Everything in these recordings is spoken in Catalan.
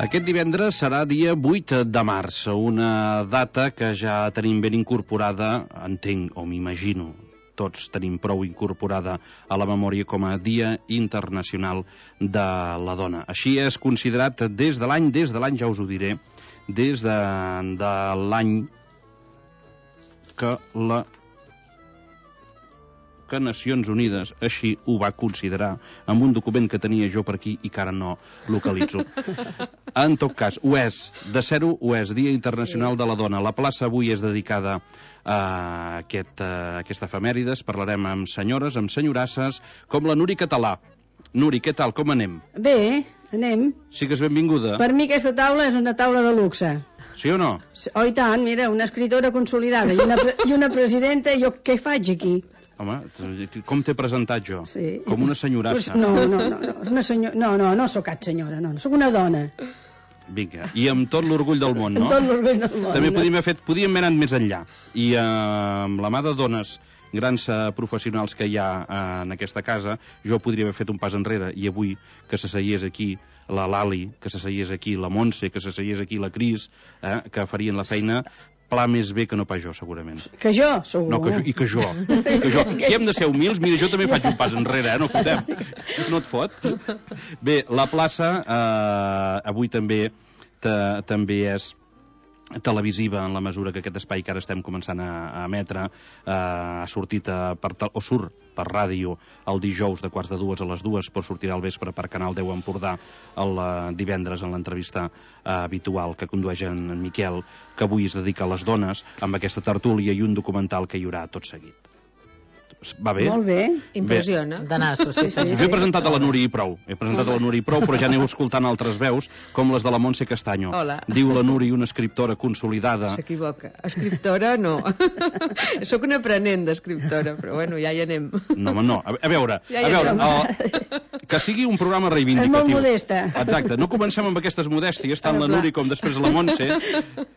Aquest divendres serà dia 8 de març, una data que ja tenim ben incorporada, entenc o m'imagino, tots tenim prou incorporada a la memòria com a Dia Internacional de la Dona. Així és considerat des de l'any, ja us ho diré, des de l'any que Nacions Unides així ho va considerar amb un document que tenia jo per aquí i que ara no localitzo. En tot cas, ho és, de ser-ho ho és, Dia Internacional de la Dona. La plaça avui és dedicada a aquesta efemèrides. Parlarem amb senyores, amb senyorasses, com la Nuri Català. Nuri, què tal, com anem? Bé, anem. Sigues benvinguda. Per mi aquesta taula és una taula de luxe. Sí o no? Oh, i tant, mira, una escritora consolidada i una presidenta, jo què faig aquí? Home, com t'he presentat jo? Sí. Com una senyorassa. No sóc cap senyora, no, sóc una dona. Vinga, i amb tot l'orgull del món, no? Amb tot l'orgull del món. També podíem haver anat més enllà. I amb la mà de dones grans professionals que hi ha en aquesta casa, jo podria haver fet un pas enrere, i avui que s'asseiés aquí la Lali, que s'asseiés aquí la Montse, que s'asseiés aquí la Cris, que farien la feina pla més bé que no pas jo, segurament. Que jo, segur. No, que jo. Si hem de ser humils, mira, jo també faig un pas enrere, no fotem. No et fot? Bé, la plaça avui també és televisiva, en la mesura que aquest espai que ara estem començant a emetre ha sortit surt per ràdio el dijous de 1:45 a les 2, però sortirà al vespre per Canal 10 Empordà el divendres en l'entrevista habitual que condueix en Miquel, que avui es dedica a les dones, amb aquesta tertúlia i un documental que hi haurà tot seguit. Va bé? Molt bé. Impressiona. De nassos, sí. Jo he presentat a la Nuri i prou. Però ja aneu escoltant altres veus, com les de la Montse Castaño. Hola. Diu la Nuri, una escriptora consolidada. S'equivoca. Escriptora, no. Sóc una aprenent d'escriptora, però bueno, ja hi anem. No, home, no. A veure, que sigui un programa reivindicatiu. És molt modesta. Exacte. No comencem amb aquestes modèsties, tant la Nuri com després la Montse.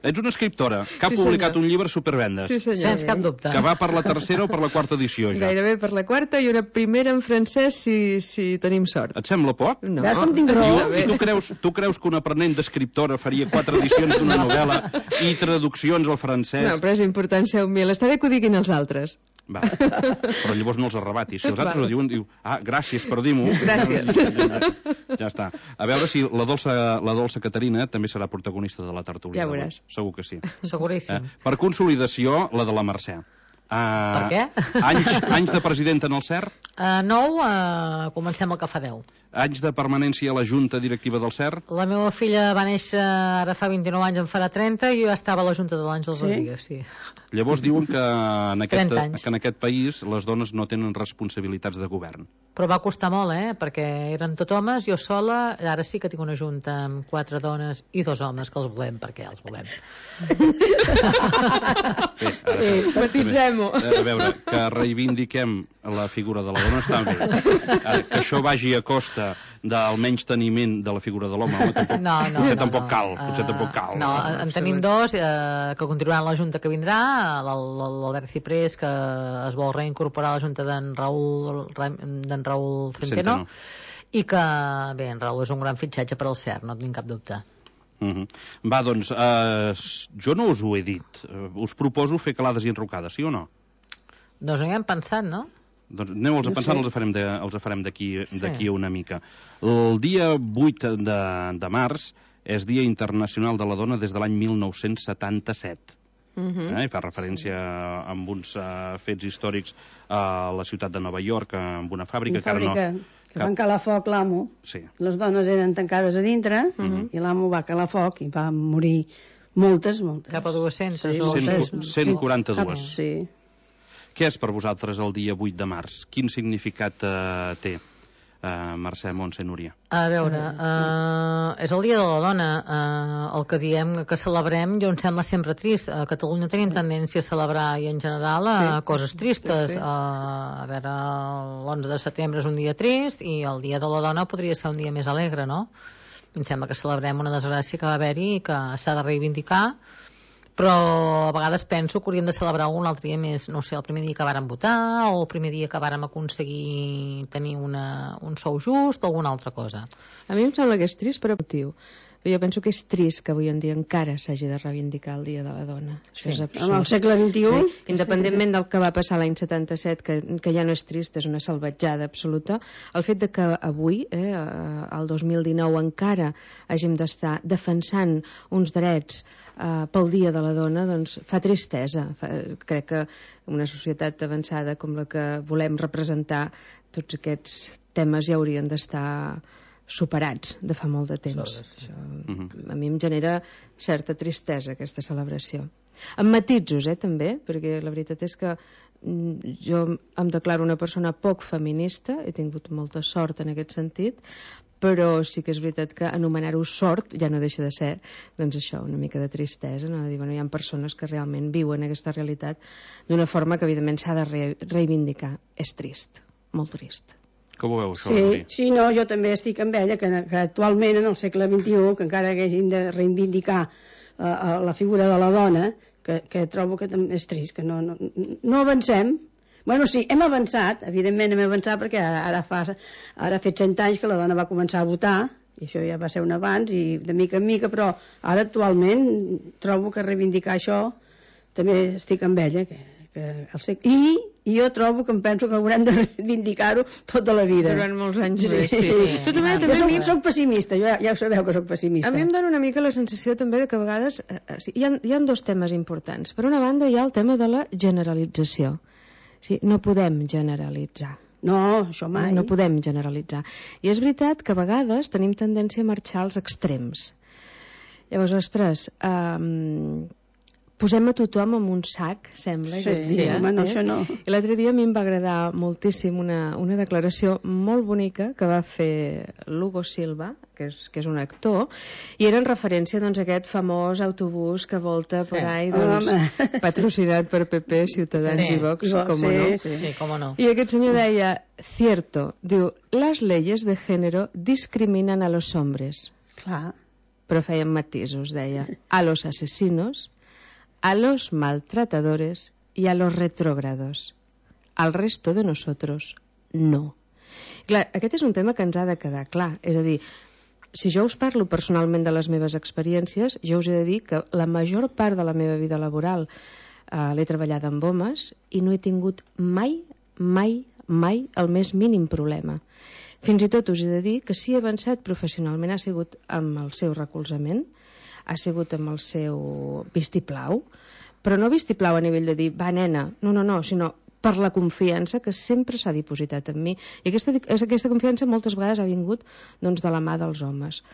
Ets una escriptora que ha publicat un llibre supervendes. Sí, senyor. Sense cap dubte. Que va per la tercera o per la quarta edició, ja. Gairebé per la quarta i una primera en francès si tenim sort. Et sembla poc? No. Veus com tinc raó? I tu creus que un aprenent d'escriptora faria 4 edicions d'una novel·la i traduccions al francès? No, però és important ser humil. Està bé que ho diguin els altres. Va, però llavors no els arrebatis. Si els altres ho diuen, diu, gràcies per dir-m'ho. Gràcies. Ja està. A veure si la dolça Caterina també serà protagonista de la tertúlia. Ja veuràs. Segur que sí. Seguríssim. Per consolidació, la de la Mercè. Per què? Anys de presidenta en el CER? 9, comencem el que fa 10. Anys de permanència a la Junta Directiva del CER? La meva filla va néixer ara fa 29 anys, en farà 30, i jo ja estava a la Junta de l'Àngels Rodríguez, sí. Llavors diuen que en aquest país les dones no tenen responsabilitats de govern. Però va costar molt, perquè eren tot homes, jo sola, ara sí que tinc una junta amb 4 dones i 2 homes, que els volem, perquè els volem. Matitzem-ho. A veure, que reivindiquem la figura de la dona està bé. Que això vagi a costa del menys teniment de la figura de l'home, potser tampoc cal. No, en tenim 2 que continuaran la junta que vindrà, l'Albert Ciprés, que es vol reincorporar a la junta d'en Raúl Centeno, i que, bé, en Raúl és un gran fitxatge per al CER, no tinc cap dubte. Va, doncs, jo no us ho he dit. Us proposo fer calades i enrocades, sí o no? Doncs ho hem pensat, no? Doncs aneu-los a pensar, els farem d'aquí una mica. El dia 8 de març és Dia Internacional de la Dona des de l'any 1977. I fa referència amb uns fets històrics a la ciutat de Nova York, amb una fàbrica que van calar foc l'amo. Les dones eren tancades a dintre i l'amo va calar foc i va morir moltes. Cap a 200 o 142. Sí. Què és per vosaltres el dia 8 de març? Quin significat té, Mercè, Montse, Núria? A veure, és el dia de la dona. El que diem que celebrem, jo em sembla sempre trist. A Catalunya tenim tendència a celebrar, i en general, coses tristes. A veure, l'11 de setembre és un dia trist i el dia de la dona podria ser un dia més alegre, no? Em sembla que celebrem una desgràcia que va haver-hi i que s'ha de reivindicar, Però a vegades penso que hauríem de celebrar un altre dia més, no sé, el primer dia que vàrem votar o el primer dia que vàrem aconseguir tenir un sou just o alguna altra cosa. A mi em sembla que és trist, però motiu. Jo penso que és trist que avui en dia encara s'hagi de reivindicar el Dia de la Dona. Això és absurd. En el segle XXI... Sí. Independentment del que va passar l'any 77, que ja no és trist, és una salvatjada absoluta, el fet de que avui, el 2019, encara hàgim d'estar defensant uns drets pel Dia de la Dona, doncs fa tristesa. Crec que una societat avançada com la que volem representar, tots aquests temes ja haurien d'estar superats de fa molt de temps. Això, a mi em genera certa tristesa aquesta celebració. Amb matisos, també, perquè la veritat és que jo em declaro una persona poc feminista, he tingut molta sort en aquest sentit, però sí que és veritat que anomenar-ho sort ja no deixa de ser, doncs això, una mica de tristesa, no? De dir, bueno, hi ha persones que realment viuen aquesta realitat d'una forma que evidentment s'ha de reivindicar. És trist, molt trist. Com ho veus, això? Sí, no, jo també estic amb ella, que actualment en el segle XXI, que encara haguéssim de reivindicar la figura de la dona, que trobo que també és trist, que no avancem. Bueno, sí, hem avançat, evidentment hem avançat, perquè ara ha fet 100 anys que la dona va començar a votar, i això ja va ser un abans, i de mica en mica, però ara actualment trobo que reivindicar això també estic amb ella, i jo trobo que em penso que haurem de reivindicar-ho tota la vida. Durant molts anys més, sí. Jo soc pessimista, ja ho sabeu que soc pessimista. A mi em dona una mica la sensació també de que a vegades hi ha dos temes importants. Per una banda hi ha el tema de la generalització. Sí, no podem generalitzar. No, això mai. No podem generalitzar. I és veritat que a vegades tenim tendència a marxar als extrems. Llavors, ostres, posem a tothom en un sac, sembla. Sí, home, no, això no. I l'altre dia a mi em va agradar moltíssim una declaració molt bonica que va fer Lugo Silva, que és un actor, i era en referència a aquest famós autobús que volta per ahí, patrocinat per PP, Ciutadans i Vox, com no. Sí, com no. I aquest senyor deia, cierto, diu, las leyes de género discriminan a los hombres. Clar. Però feien matisos, deia, a los asesinos, a los maltratadores y a los retrógrados. Al resto de nosotros, no. Clar, aquest és un tema que ens ha de quedar clar. És a dir, si jo us parlo personalment de les meves experiències, jo us he de dir que la major part de la meva vida laboral l'he treballada amb homes i no he tingut mai el més mínim problema. Fins i tot us he de dir que si he avançat professionalment ha sigut amb el seu recolzament, ha sigut amb el seu vistiplau, però no vistiplau a nivell de dir, va nena, no, sinó per la confiança que sempre s'ha dipositat en mi. I aquesta confiança moltes vegades ha vingut de la mà dels homes.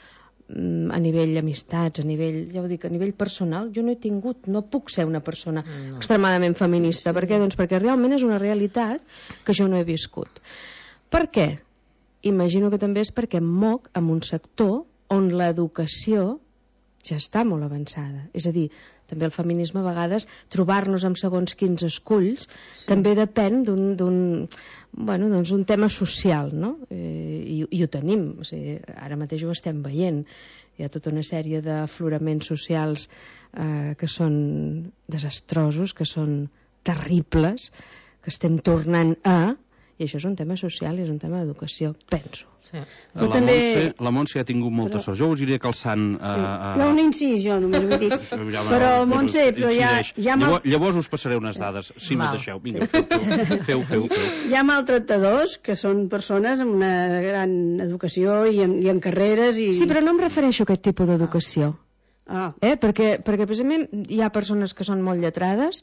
A nivell amistats, a nivell personal, jo no he tingut, no puc ser una persona extremadament feminista. Per què? Doncs perquè realment és una realitat que jo no he viscut. Per què? Imagino que també és perquè em moc en un sector on l'educació ja està molt avançada. És a dir, també el feminisme a vegades, trobar-nos amb segons quins esculls, també depèn d'un tema social, no? I ho tenim. O sigui, ara mateix ho estem veient. Hi ha tota una sèrie d'afloraments socials que són desastrosos, que són terribles, que estem tornant i això és un tema social i és un tema d'educació, penso. Sí. La Montse ha tingut molta sort. Jo us iré calçant... Hi ha un incís, jo només vull dir. Però, Montse, llavors us passaré unes dades, si me deixeu. Vinga, feu. Hi ha maltractadors que són persones amb una gran educació i en carreres i... Sí, però no em refereixo a aquest tipus d'educació. Perquè precisament hi ha persones que són molt lletrades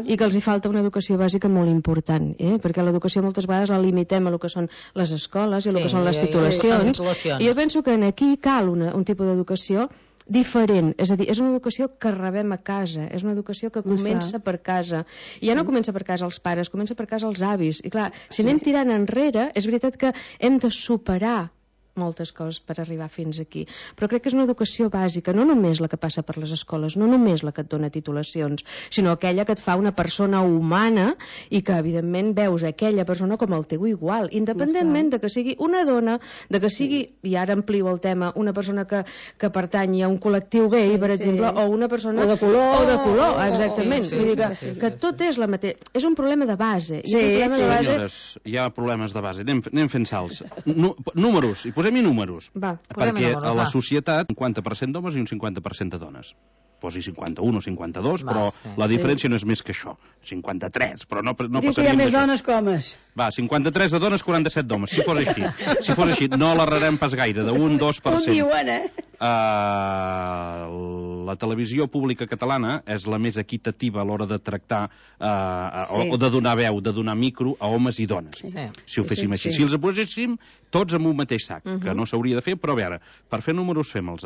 i que els hi falta una educació bàsica molt important, perquè l'educació moltes vegades la limitem a el que són les escoles i el que són les titulacions, i jo penso que aquí cal un tipus d'educació diferent, és a dir, és una educació que rebem a casa, és una educació que comença per casa, i ja no comença per casa els pares, comença per casa els avis, i clar, si anem tirant enrere, és veritat que hem de superar moltes coses per arribar fins aquí, però crec que és una educació bàsica, no només la que passa per les escoles, no només la que et dona titulacions, sinó aquella que et fa una persona humana i que evidentment veus aquella persona com el teu igual, independentment de que sigui una dona, de que sigui, i ara amplio el tema, una persona que pertanyi a un col·lectiu gay, per exemple, o una persona... O de color. Exactament. Vull dir que tot és la mateixa... És un problema de base. Senyores, hi ha problemes de base. Anem fent salts. Números, i posem-hi números. Va, perquè a la societat, un 50% d'homes i un 50% de dones. Posi 51 o 52, però la diferència no és més que això. 53, però no passaríem d'això. Diu que hi ha més dones que homes. Va, 53 de dones, 47 d'homes. Si fos així, no l'alarrarem pas gaire, d'un 2%. Ho diuen, La televisió pública catalana és la més equitativa a l'hora de tractar o de donar veu, de donar micro a homes i dones. Si ho féssim així. Si els poséssim tots en un mateix sac, que no s'hauria de fer, però a veure, per fer números fem-los.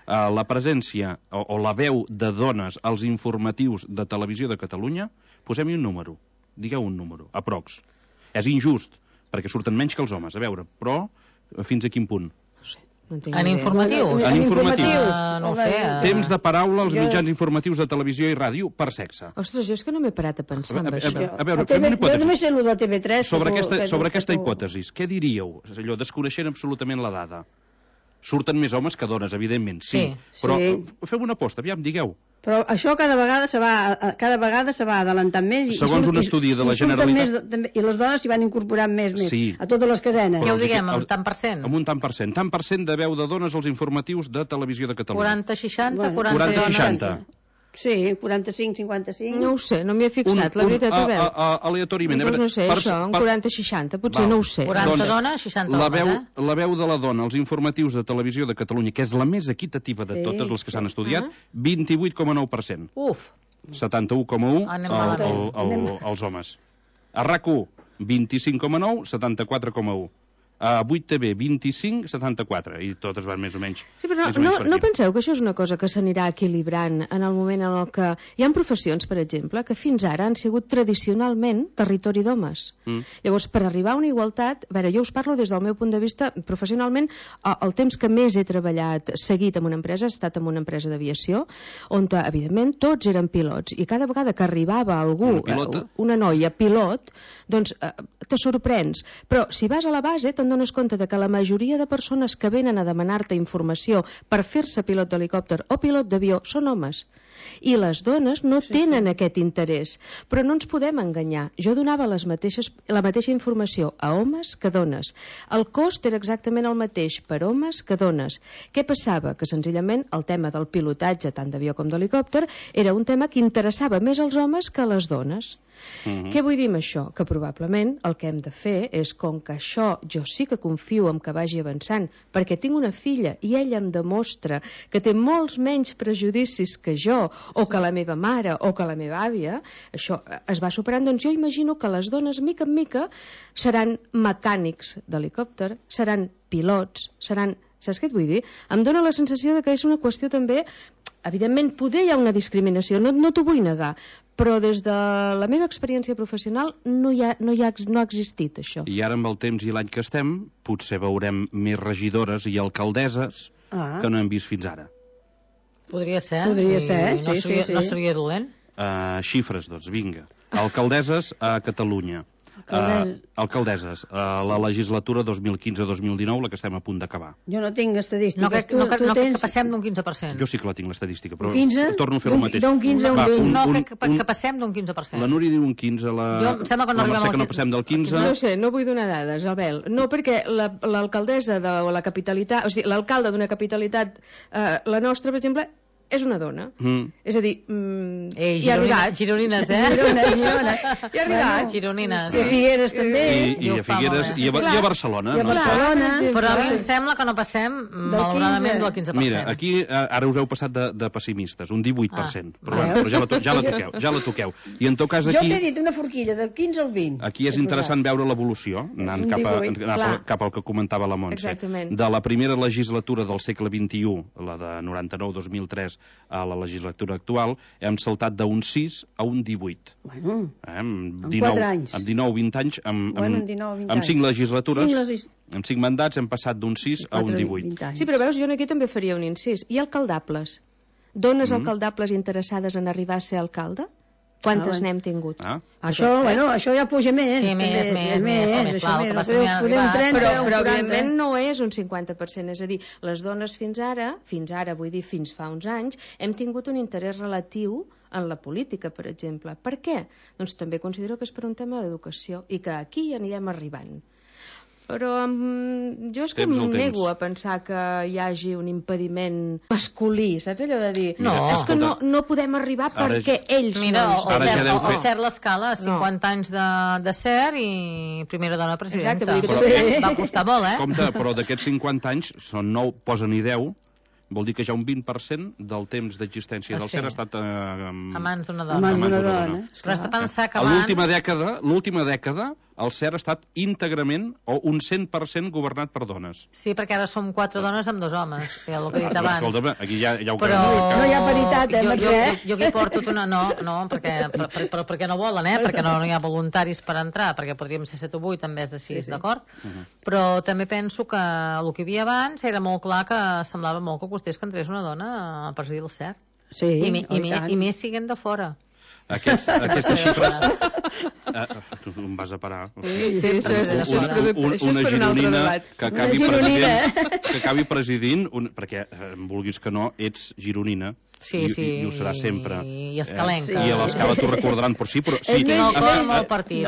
La presència o la veu de dones als informatius de televisió de Catalunya, posem-hi un número. Digueu un número, aprox. És injust, perquè surten menys que els homes, a veure, però fins a quin punt? En informatius? En informatius. No ho sé. Temps de paraula als mitjans informatius de televisió i ràdio per sexe. Ostres, jo és que no m'he parat a pensar en això. A veure, fem una hipòtesi. Jo només sé el de TV3. Sobre aquesta hipòtesi, què diríeu? Allò, desconeixent absolutament la dada. Surten més homes que dones, evidentment, sí. Però fem una aposta, aviam, digueu. Però això cada vegada se va adelantant més. Segons un estudi de la Generalitat. I les dones s'hi van incorporant més a totes les cadenes. Què ho diguem, amb tant per cent? Amb un tant per cent. Tant per cent de veu de dones als informatius de televisió de Catalunya. 40-60, 40-60. Sí, 45-55. No ho sé, no m'hi he fixat, la veritat, a veure. Aleatoriament. Doncs no sé, això, un 40-60, potser no ho sé. 40 dones, 60 homes, La veu de la dona als informatius de televisió de Catalunya, que és la més equitativa de totes les que s'han estudiat, 28,9%. Uf. 71,1% als homes. A RAC1, 25,9%, 74,1%. A 8TV 25, 74, i totes van més o menys. Sí, però no penseu que això és una cosa que s'anirà equilibrant en el moment en el que... Hi ha professions, per exemple, que fins ara han sigut tradicionalment territori d'homes. Llavors, per arribar a una igualtat... A veure, jo us parlo des del meu punt de vista, professionalment, el temps que més he treballat seguit en una empresa ha estat en una empresa d'aviació, on, evidentment, tots eren pilots, i cada vegada que arribava algú, una noia pilot, doncs te sorprens. Però si vas a la base, te'n dones compte de que la majoria de persones que venen a demanar-te informació per fer-se pilot d'helicòpter o pilot d'avió són homes. I les dones no tenen aquest interès. Però no ens podem enganyar. Jo donava la mateixa informació a homes que dones. El cost era exactament el mateix per homes que dones. Què passava? Que senzillament el tema del pilotatge, tant d'avió com d'helicòpter, era un tema que interessava més als homes que a les dones. Què vull dir amb això? Que probablement el que hem de fer és, com que això jo sí que confio en que vagi avançant, perquè tinc una filla i ella em demostra que té molts menys prejudicis que jo, o que la meva mare, o que la meva àvia, això es va superant, doncs jo imagino que les dones, mica en mica, seran mecànics d'helicòpter, seran pilots, seran... Saps què et vull dir? Em dóna la sensació de que és una qüestió també... Evidentment, poder hi ha una discriminació, no t'ho vull negar, però des de la meva experiència professional no ha existit això. I ara amb el temps i l'any que estem, potser veurem més regidores i alcaldesses que no hem vist fins ara. Podria ser. Sí. No seria dolent? Xifres, doncs, vinga. Alcaldesses a Catalunya. Alcaldesses, la legislatura 2015-2019, la que estem a punt d'acabar. Jo no tinc estadístiques. No que passem d'un 15%. Jo sí que la tinc, l'estadística, però 15? Torno a fer el mateix. D'un 15 a un 20. No, que passem d'un 15%. La Núria diu un 15, Jo em sembla que no arribem al 15. que no passem del 15. No sé, no vull donar dades, Abel. No, perquè l'alcaldessa de la capitalitat, o sigui, l'alcalde d'una capitalitat, la nostra, per exemple, és una dona. És a dir, hi ha arribat. Gironines, Girona. Hi ha arribat. Gironines. I a Figueres també. I a Figueres, i a Barcelona. I a Barcelona. Però a mi em sembla que no passem, malauradament, del 15%. Mira, aquí ara us heu passat de pessimistes, un 18%. Però ja la toqueu. I en tot cas aquí... Jo t'he dit una forquilla del 15 al 20. Aquí és interessant veure l'evolució, anant cap al que comentava la Montse. Exactament. De la primera legislatura del segle XXI, la de 99-2003, a la legislatura actual, hem saltat d'un 6 a un 18. Bueno, Amb 4 anys. Amb 19-20 anys, Bueno, amb 19 o 20 amb 5 anys. legislatures, amb 5 mandats, hem passat d'un 6 a un 18. Sí, però veus, jo aquí també faria un incís. I alcaldables? Dones alcaldables interessades en arribar a ser alcalde? Quantes n'hem tingut? Això, bueno, això ja puja més. Sí, més, clar, el que passa que ja podem arribat. 30 Però o 40. evidentment no és un 50%, és a dir, les dones fins ara, vull dir fins fa uns anys, hem tingut un interès relatiu en la política, per exemple. Per què? Doncs també considero que és per un tema d'educació i que aquí ja anirem arribant. Però jo és que em nego a pensar que hi hagi un impediment masculí, saps allò de dir? No, és que no podem arribar perquè ells mira, no el CER l'escala, 50 anys de CER i primera dona presidenta. Exacte, va costar molt, Compte, però d'aquests 50 anys, són 9, posen i 10, vol dir que ja un 20% del temps d'existència del CER ha estat a mans d'una dona. Però has de pensar que abans... L'última dècada, el CER ha estat íntegrament o un 100% governat per dones. Sí, perquè ara som 4 dones amb 2 homes, que és el que he dit abans. Escolta, aquí ja ho però... No hi ha paritat, Mercè? Jo aquí porto una... No, perquè no volen, perquè no hi ha voluntaris per entrar, perquè podríem ser 7 o 8 en vez de 6, d'acord? Però també penso que el que hi havia abans era molt clar que semblava molt que costés que entrés una dona a presidir el CER. Sí, I més siguen de fora. Aquestes xifres tu em vas a parar. Això és per un altre debat. Que acabi presidint perquè em vulguis que no, ets gironina i ho serà sempre i escalenca i a l'Escala t'ho recordaran per sí, però sí,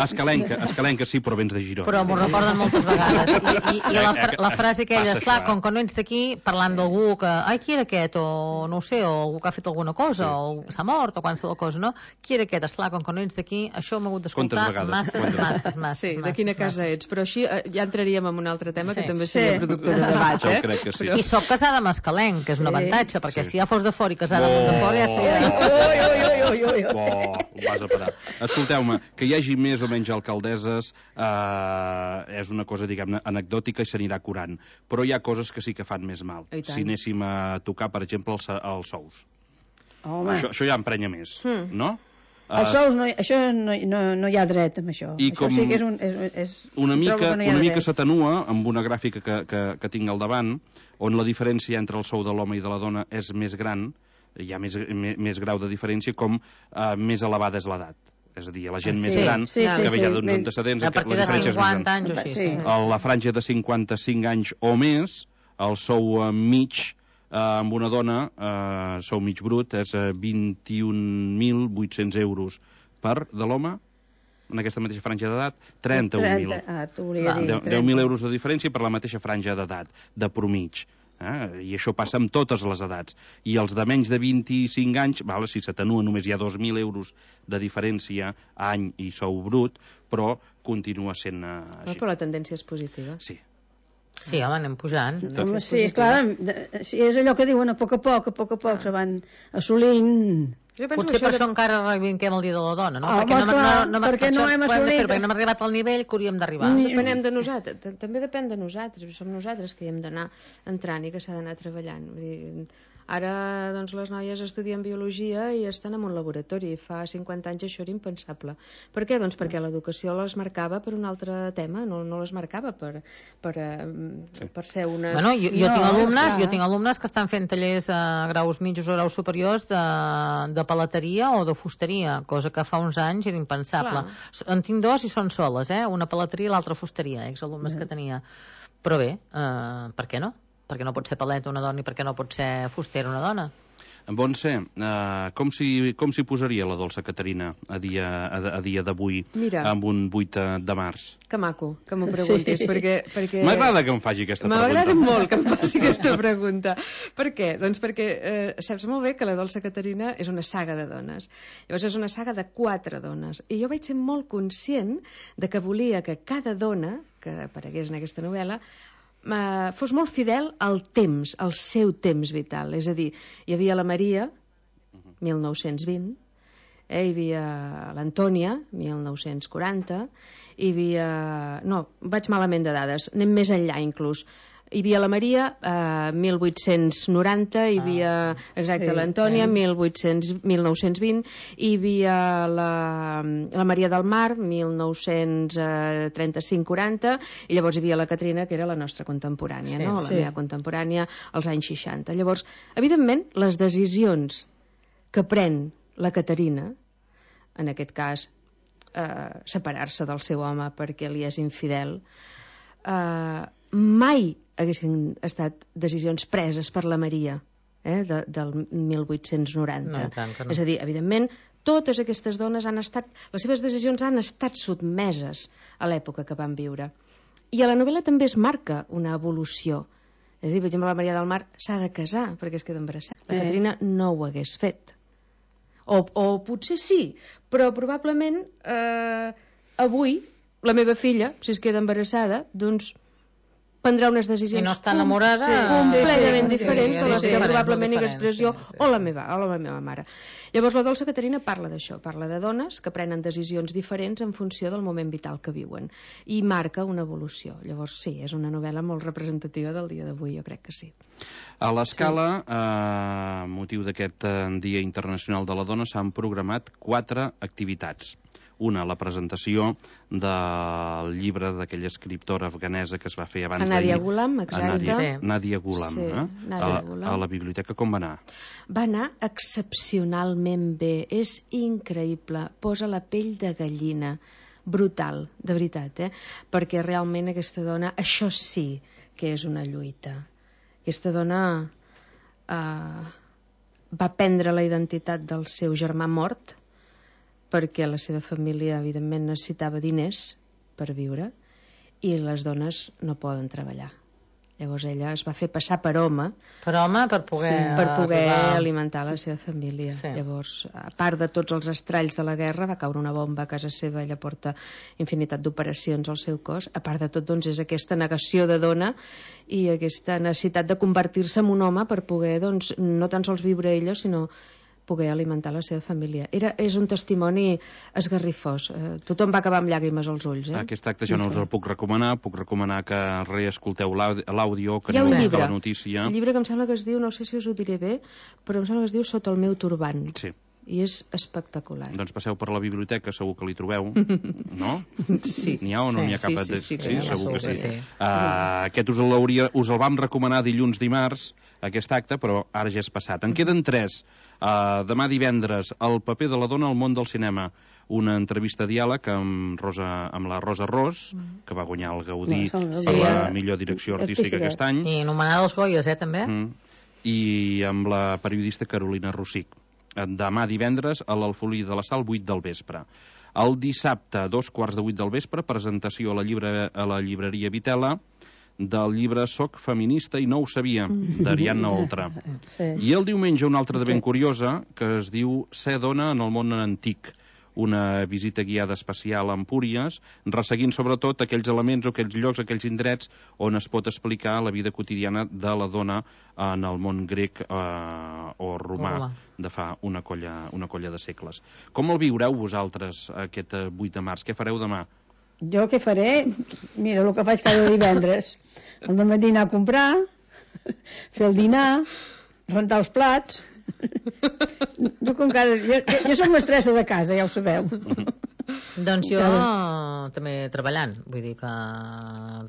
escalenca sí, però vens de Girona, però m'ho recorden moltes vegades i la frase aquella, esclar, com que no ets d'aquí parlant d'algú que, qui era aquest o no ho sé, o algú que ha fet alguna cosa o s'ha mort o qualsevol cosa, no? Qui era aquest? Esclar, com que no ets d'aquí, això m'ha hagut d'escoltar masses. De quina casa ets? Però així ja entraríem en un altre tema que també seria productor de debat, crec que sí. I soc casada amb escalenc, que és un avantatge, perquè si ja fos de fora i casada de fora ja sé... Ho vas a parar. Escolteu-me, que hi hagi més o menys alcaldesses és una cosa, diguem-ne, anecdòtica i s'anirà curant. Però hi ha coses que sí que fan més mal. Si anéssim a tocar, per exemple, els sous. Això ja emprenya més, no? Els sous, això no hi ha dret amb això. Això sí que és una mica s'atenua amb una gràfica que tinc al davant, on la diferència entre el sou de l'home i de la dona és més gran, hi ha més grau de diferència, com més elevada és l'edat. És a dir, la gent més gran, que ve ja d'uns antecedents... A partir de 50 anys o així. A la franja de 55 anys o més, el sou mig amb una dona, sou mig brut, és 21.800 euros de l'home, en aquesta mateixa franja d'edat, 31.000. 10.000 euros de diferència per la mateixa franja d'edat, de promig. I això passa amb totes les edats. I els de menys de 25 anys, si s'atenua només hi ha 2.000 euros de diferència any i sou brut, però continua sent així. Però la tendència és positiva. Sí. Sí, home, anem pujant. Sí, clar, és allò que diuen a poc se van assolint... Potser per això encara reivindiquem el dia de la dona, no? Perquè no hem assolit... Perquè no hem arribat al nivell que hauríem d'arribar. Depenem de nosaltres, també depèn de nosaltres, som nosaltres que hi hem d'anar entrant i que s'ha d'anar treballant. Vull dir, ara doncs, les noies estudien biologia i estan en un laboratori. Fa 50 anys això era impensable. Per què? Doncs perquè l'educació les marcava per un altre tema, no les marcava per ser unes... Bueno, jo tinc alumnes que estan fent tallers a graus mitjos o graus superiors de palateria o de fusteria, cosa que fa uns anys era impensable. En tinc 2 i són soles, una palateria i l'altra fusteria, exalumnes que tenia. Però bé, per què no? Perquè no pot ser paleta una dona i perquè no pot ser fustera una dona. Montse, com s'hi posaria la dolça Caterina a dia d'avui amb un 8 de març? Que maco, que m'ho preguntis, perquè... M'agrada que em faci aquesta pregunta. M'agrada molt que em faci aquesta pregunta. Per què? Doncs perquè saps molt bé que la dolça Caterina és una saga de dones. Llavors és una saga de 4 dones. I jo vaig ser molt conscient de que volia que cada dona que aparegués en aquesta novel·la fos molt fidel al temps, al seu temps vital. És a dir, hi havia la Maria, 1920, hi havia l'Antònia, 1940, hi havia... No, vaig malament de dades, anem més enllà inclús. hi havia la Maria, 1890, hi havia, exacte, l'Antònia, 1920, hi havia la Maria del Mar, 1935-40, i llavors hi havia la Caterina, que era la nostra contemporània, no? La meva contemporània als anys 60. Llavors, evidentment, les decisions que pren la Caterina, en aquest cas, separar-se del seu home perquè li és infidel, mai haguessin estat decisions preses per la Maria del 1890. No, tant que no. És a dir, evidentment, totes aquestes dones les seves decisions han estat sotmeses a l'època que van viure. I a la novel·la també es marca una evolució. És a dir, per exemple, la Maria del Mar s'ha de casar perquè es queda embarassada. La Caterina no ho hagués fet. O potser sí, però probablement avui la meva filla, si es queda embarassada, doncs prendrà unes decisions i no està enamorada completament diferents de les que probablement hi expressió o la meva mare. Llavors la Dolça Caterina parla d'això, parla de dones que prenen decisions diferents en funció del moment vital que viuen i marca una evolució. Llavors sí, és una novel·la molt representativa del dia d'avui, jo crec que sí. A l'Escala, motiu d'aquest Dia Internacional de la Dona, s'han programat 4 activitats. Una, la presentació del llibre d'aquella escriptora afganesa que es va fer abans d'ahir. Nadia Ghulam, exacte. Nadia Ghulam. Sí, Nadia Ghulam. A la biblioteca com va anar? Va anar excepcionalment bé. És increïble. Posa la pell de gallina. Brutal, de veritat, perquè realment aquesta dona, això sí que és una lluita. Aquesta dona va prendre la identitat del seu germà mort perquè la seva família, evidentment, necessitava diners per viure i les dones no poden treballar. Llavors ella es va fer passar per home. Per home, per poder alimentar la seva família. Sí. Llavors, a part de tots els estralls de la guerra, va caure una bomba a casa seva, ella porta infinitat d'operacions al seu cos. A part de tot, doncs, és aquesta negació de dona i aquesta necessitat de convertir-se en un home per poder, doncs, no tan sols viure ella, sinó poder alimentar la seva família. És un testimoni esgarrifós. Tothom va acabar amb llàgrimes als ulls. Aquest acte jo no us el puc recomanar que reescolteu l'àudio, que hi ha un llibre, la notícia. Un llibre que em sembla que es diu, no sé si us ho diré bé, però em sembla que es diu Sota el meu turbant. Sí. I és espectacular. Doncs passeu per la biblioteca, segur que l'hi trobeu, no? Sí. N'hi ha o no n'hi ha cap? Sí, segur que sí. Aquest us el vam recomanar dimarts, aquest acte, però ara ja és passat. En queden 3. Demà divendres, El paper de la dona al món del cinema. Una entrevista diàleg amb la Rosa Ros, que va guanyar el Gaudí per la millor direcció artística aquest any. I nomenada als Goyes, també. I amb la periodista Carolina Rossich. Demà divendres a l'Alfolí de la Sal, 8 del vespre. El dissabte, 2:15 del vespre, presentació a la llibreria Vitela del llibre Soc feminista i no ho sabia, d'Ariadna Oltra. I el diumenge una altra de ben curiosa, que es diu Ser dona en el món antic. Una visita guiada especial a Empúries, resseguint sobretot aquells elements o aquells llocs, aquells indrets on es pot explicar la vida quotidiana de la dona en el món grec o romà de fa una colla de segles. Com el viureu vosaltres aquest 8 de març? Què fareu demà? Jo què faré? Mira, el que faig cada divendres. Al dematí anar a comprar, fer el dinar, rentar els plats. Jo som mestressa de casa, ja ho sabeu. Doncs jo també treballant, vull dir que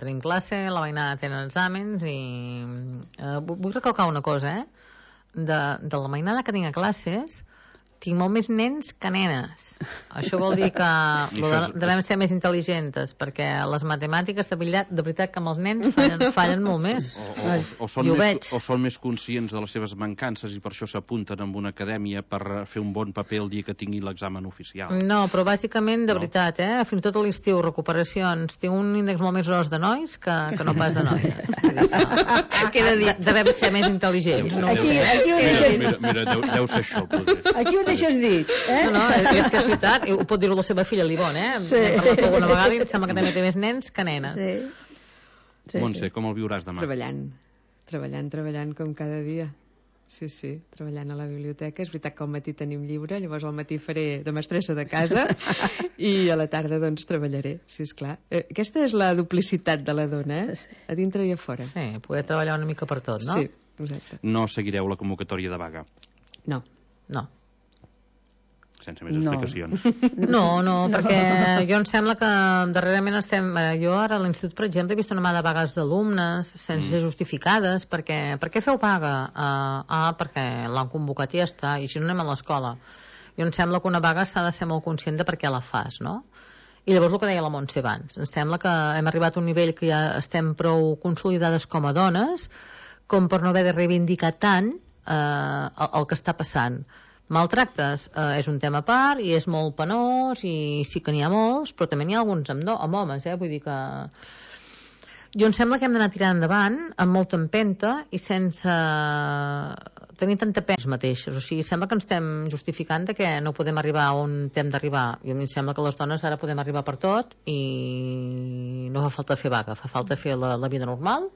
tenim classe, la veïnada tenen exàmens i vull recalcar una cosa, de la mainada que tinc a classes tinc molt més nens que nenes. Això vol dir que devem ser més intel·ligents, perquè les matemàtiques de veritat que amb els nens fallen molt més. O són més conscients de les seves mancances i per això s'apunten en una acadèmia per fer un bon paper el dia que tinguin l'examen oficial. No, però bàsicament, de veritat, fins i tot a l'estiu, recuperacions, tinc un índex molt més gros de nois que no pas de noies. Queda dit, devem ser més intel·ligents. Mira, deu ser això, potser. Aquí ho deixes dit, No, és que és veritat, ho pot dir-ho la seva filla l'Ivonne, Sí. Hem parlat alguna vegada i em sembla que també té més nens que nenes. Montse, com el viuràs demà? Treballant com cada dia. Sí, treballant a la biblioteca. És veritat que al matí tenim llibre, llavors al matí faré de mestressa de casa i a la tarda doncs treballaré, sí, esclar. Aquesta és la duplicitat de la dona, a dintre i a fora. Sí, poder treballar una mica per tot, no? Sí, exacte. No seguireu la convocatòria de vaga? No. Sense més explicacions. No, perquè jo em sembla que darrerament jo ara a l'institut, per exemple, he vist una mà de vagues d'alumnes sense ser justificades. Per què feu vaga? Perquè l'han convocat i ja està, i així no anem a l'escola. Jo em sembla que una vaga s'ha de ser molt conscient de per què la fas, no? I llavors el que deia la Montse abans, em sembla que hem arribat a un nivell que ja estem prou consolidades com a dones com per no haver de reivindicar tant el que està passant. Maltractes és un tema a part i és molt penós i sí que n'hi ha molts, però també n'hi ha alguns amb homes, vull dir que jo em sembla que hem d'anar tirant endavant amb molta empenta i sense tenir tanta pena mateixos, o sigui, sembla que ens estem justificant de que no podem arribar on hem d'arribar. Jo em sembla que les dones ara podem arribar per tot i no fa falta fer vaga, fa falta fer la vida normal,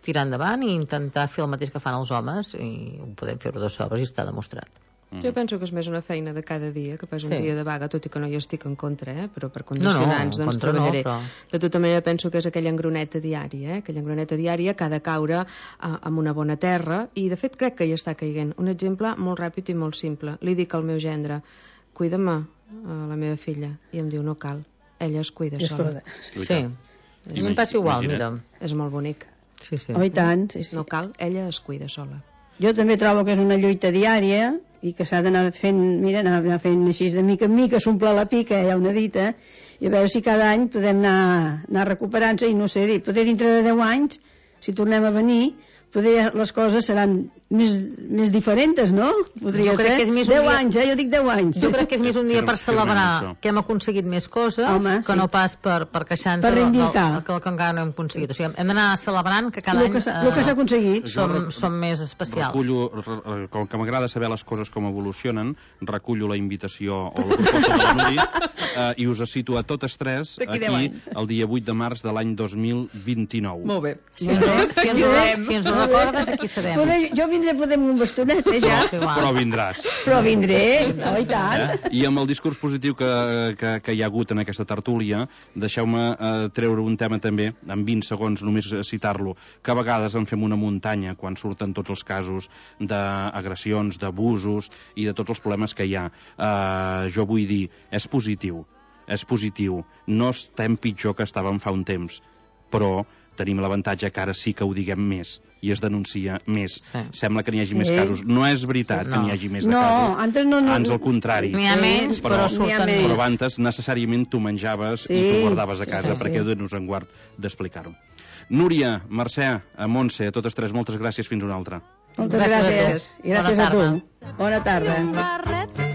tirar endavant i intentar fer el mateix que fan els homes, i ho podem fer-ho de sobres i està demostrat. Jo penso que és més una feina de cada dia que pas un dia de vaga, tot i que no hi estic en contra, però per condicionants doncs treballaré. De tota manera penso que és aquella engroneta diària, aquella engroneta diària que ha de caure amb una bona terra, i de fet crec que hi està caiguent. Un exemple molt ràpid i molt simple. Li dic al meu gendre, cuida'm a la meva filla, i em diu no cal, ella es cuida sola. Sí, a mi em passa igual, mira. És molt bonic. Sí. Oh, i tant, sí. No cal, ella es cuida sola. Jo també trobo que és una lluita diària i que s'ha d'anar fent, anar fent així de mica en mica, s'omple la pica, hi ha una dita, i a veure si cada any podem anar recuperant-se, i no sé, poder dintre de 10 anys, si tornem a venir, poder les coses seran més diferents, no? Podria ser 10 anys, jo dic 10 anys. Jo crec que és més un dia per celebrar que hem aconseguit més coses que no pas per queixar-nos que encara no hem aconseguit. O sigui, hem d'anar celebrant que cada any el que s'ha aconseguit som més especials. Com que m'agrada saber les coses com evolucionen, recullo la invitació o la proposta de la Núria i us cito a totes tres aquí el dia 8 de març de l'any 2029. Molt bé. Si ens ho recordes, aquí serem. Jo vindré poder amb un bastonet, ja. Però vindràs. Però vindré, oh, i tant. I amb el discurs positiu que hi ha hagut en aquesta tertúlia, deixeu-me treure un tema també, en 20 segons només citar-lo, que a vegades en fem una muntanya quan surten tots els casos d'agressions, d'abusos i de tots els problemes que hi ha. Jo vull dir, és positiu, no estem pitjor que estàvem fa un temps, però tenim l'avantatge que ara sí que ho diguem més i es denuncia més. Sembla que n'hi hagi més casos. No és veritat que n'hi hagi més de casos. Ans al contrari. N'hi ha menys, però surten més. Però abans necessàriament tu menjaves i tu guardaves a casa, perquè Déu-nos en guard d'explicar-ho. Núria, Mercè, Montse, a totes tres, moltes gràcies. Fins una altra. Moltes gràcies. I gràcies a tu. Bona tarda.